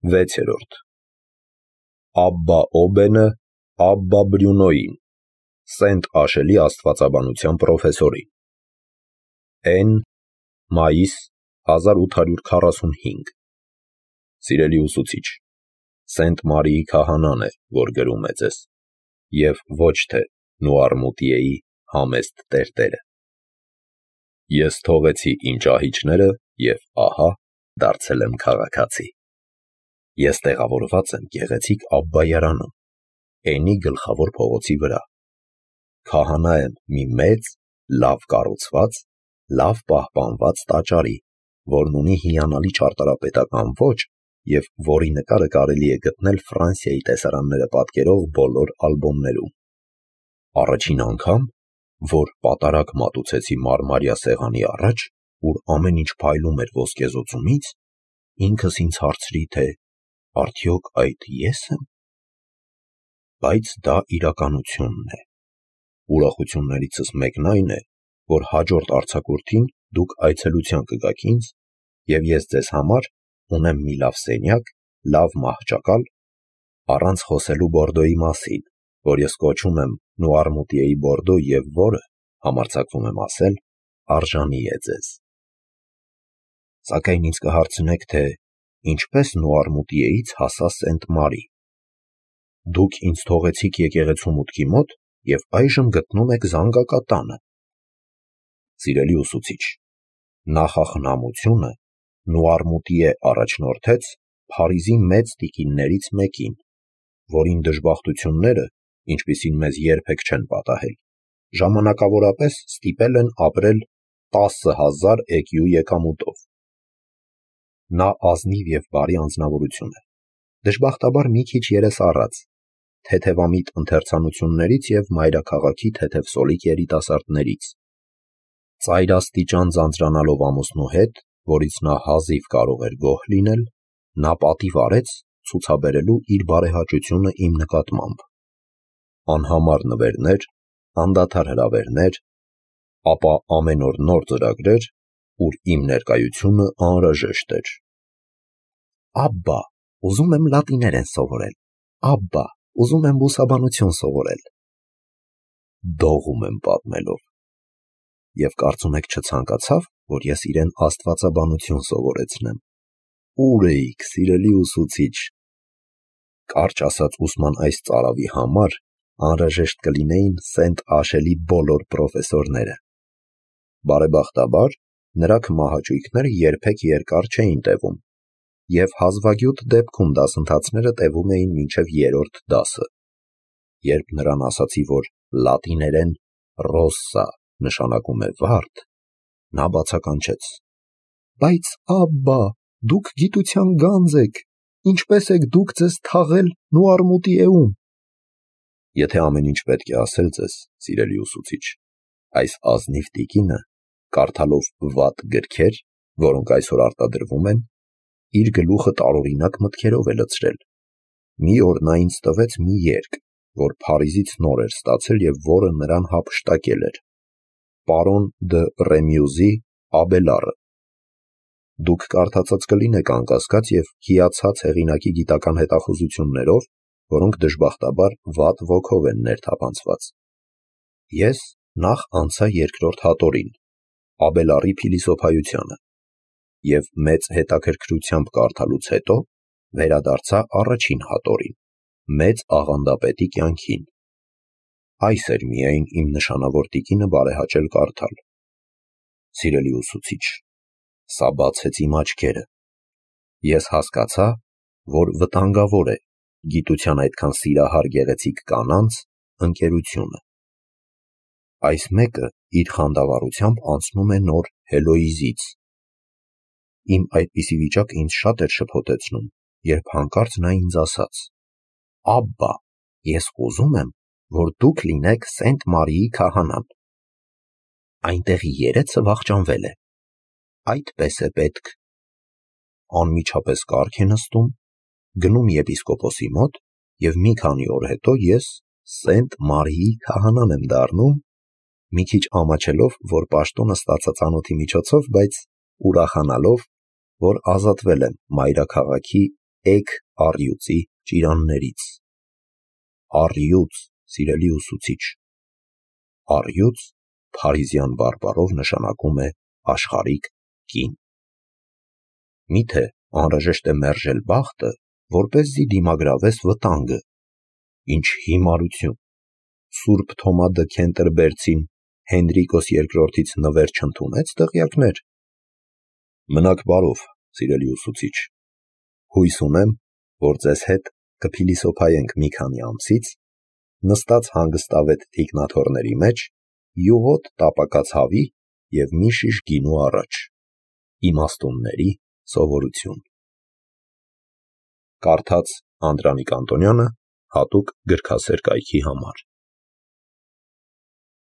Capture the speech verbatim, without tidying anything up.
վեցերորդ Աբբա Օբենը Աբբա Բրյունոյին, Սենտ Աշելի աստվածաբանության պրոֆեսորին, N. մայիս հազար ութ հարյուր քառասունհինգ Սիրելի ուսուցիչ, Սենտ Մարիի քահանան է, որ գրում է ձեզ, և ոչ թե Նուարմուտիեի համեստ տերտերը։ Ես թողեցի իմ ճահիճները և ահա դարձել եմ քաղաքացի։ Ես տեղավորված եմ գեղեցիկ Աբբայարանում, Էնի գլխավոր փողոցի վրա։ Քահանա եմ մի մեծ, լավ կառուցված, լավ պահպանված տաճարի, որն ունի հիանալի ճարտարապետական ոճ և որի նկարը կարելի է գտնել Ֆրանսիայի տեսարանները պատկերող բոլոր ալբոմներում։ Առաջին անգամ, որ պատարագ մատուցեցի մարմարյա սեղանի առաջ, ուր ամեն ինչ փայլում էր ոսկեզօծումից, ինքս ինձ հարցրի, թե արդյոք այդ ե՞ս եմ։ Բայց դա իրականությունն է։ Ուրախություններիցս մեկն այն է, որ հաջորդ արձակուրդին դուք այցելության կգաք ինձ, և ես ձեզ համար ունեմ մի լավ սենյակ, լավ մահճակալ, առանց խոսելու Բորդոյի մասին, որ ես կոչում եմ Նուարմուտիեի Բորդո և որը, համարձակվում եմ ասել, արժանի է ձեզ։ Սակայն ինձ կհարցնեք, թե ինչպես Նուարմուտիեից հասա Սենտ Մարի։ Դուք ինձ թողեցիք եկեղեցու մուտքի մոտ և այժմ գտնում եք զանգակատանը։ Սիրելի ուսուցիչ, նախախնամությունը Նուարմուտիե առաջնորդեց Փարիզի մեծ տիկիններից մեկին, որին դժբախտությունները, ինչպիսին մեզ երբեք չեն պատահել, ժամանակավորապես ստիպել են ապրել տասը հազար էկյու եկամուտով։ Նա ազնիվ և բարի անձնավորություն է, դժբախտաբար մի քիչ երեսառած, թեթևամիտ ընթերցանություններից և մայրաքաղաքի թեթևսոլիկ երիտասարդներից։ Ծայրաստիճան ձանձրանալով ամուսնու հետ, որից նա հազիվ կարող էր գոհ լինել, նա պատիվ արեց ցուցաբերելու իր բարեհաճությունը իմ նկատմամբ։ Անհամար նվերներ, անդադար հրավերներ, ապա ամեն օր նոր ծրագրեր, ուր իմ ներկայությունը անհրաժեշտ էր։ Աբբա, ուզում եմ լատիներեն սովորել, Աբբա, ուզում եմ բուսաբանություն սովորել։ Դողում եմ պատմելով։ Եվ կարծում եք չցանկացավ, որ ես իրեն աստվածաբանություն սովորեցնեմ։ Ուր էիք, սիրելի ուսուցիչ։ Կարճ ասած, ուսման այս ծարավի համար անհրաժեշտ կլինեին Սենտ Աշելի բոլոր պրոֆեսորները։ Բարեբախտաբար, նրա քմահաճույքները երբեք երկար չէին տևում, և հազվագյուտ դեպքում դասընթացները տևում էին մինչև երրորդ դասը։ Երբ նրան ասացի, որ լատիներեն ռոսսա նշանակում է վարդ, նա բացականչեց. Բայց Աբբա, դուք գիտության գանձ եք, ինչպե՞ս եք դուք ձեզ թաղել Նուարմուտիեում։ Եթե ամեն ինչ պետք է ասել ձեզ, սիրելի ուսուցիչ, այս ազնիվ տիկինը, կարդալով վատ գրքեր, որոնք այսօր արտադրվում են, իր գլուխը տարօրինակ մտքերով է լցրել։ Մի օր նա ինձ տվեց մի երգ, որ Փարիզից նոր էր ստացել և որը նրան հափշտակել էր. Պարոն դը Ռեմյուզի Աբելարը։ Դուք կարդացած կլինեք անկասկած և հիացած հեղինակի գիտական հետախուզություններով, որոնք դժբախտաբար վատ ոգով են ներթափանցված։ Ես նախ անցա երկրորդ հատորին, Աբելարի փիլիսոփայությանը, և մեծ հետաքրքրությամբ կարդալուց հետո վերադարձա առաջին հատորին, մեծ աղանդապետի կյանքին։ Այս էր միայն իմ նշանավոր տիկինը բարեհաճել կարդալ։ Սիրելի ուսուցիչ, սա բացեց իմ աչքերը։ Ես հասկացա, որ վտանգավոր է գիտության այդքան սիրահար գեղեցիկ կանանց ընկերությունը։ Այս մեկը իր խանդավառությամբ անցնում է նոր Հելոիզից։ Իմ այդպիսի վիճակը ինձ շատ էր շփոթեցնում, երբ հանկարծ նա ինձ ասաց. Աբբա, ես ուզում եմ, որ դուք լինեք Սենտ Մարիի քահանան։ Այնտեղի երեցը վախճանվել է։ Այդպես է պետք։ Անմիջապես կառք է նստում, գնում եպիսկոպոսի մոտ, և մի քանի օր հետո ես Սենտ Մարիի քահանան եմ դառնում, մի քիչ ամաչելով, որ պաշտոնը ստացա ծանոթի միջոցով, բայց ուրախանալով, որ ազատվել եմ մայրաքաղաքի էգ առյուծի ճիրաններից։ Առյուծ, սիրելի ուսուցիչ։ Առյուծ փարիզյան բարբառով նշանակում է աշխարհիկ կին։ Միթե անհրաժեշտ է մերժել բախտը, որպեսզի դիմագրավես վտանգը։ Ինչ հիմարություն։ Սուրբ Թոմա դը Քենտերբերցին Հենրիկոս երկրորդից նվեր չընդունեց դղյակներ։ Մնաք բարով, սիրելի ուսուցիչ։ Հույս ունեմ, որ ձեզ հետ կփիլիսոփայենք մի քանի ամսից, նստած հանգստավետ թիկնաթոռների մեջ, յուղոտ տապակած հավի և մի շիշ գինու առաջ։ Իմաստունների սովորություն։ Կարդաց Անդրանիկ Անտոնյանը հատուկ գրքասեր կայքի համար։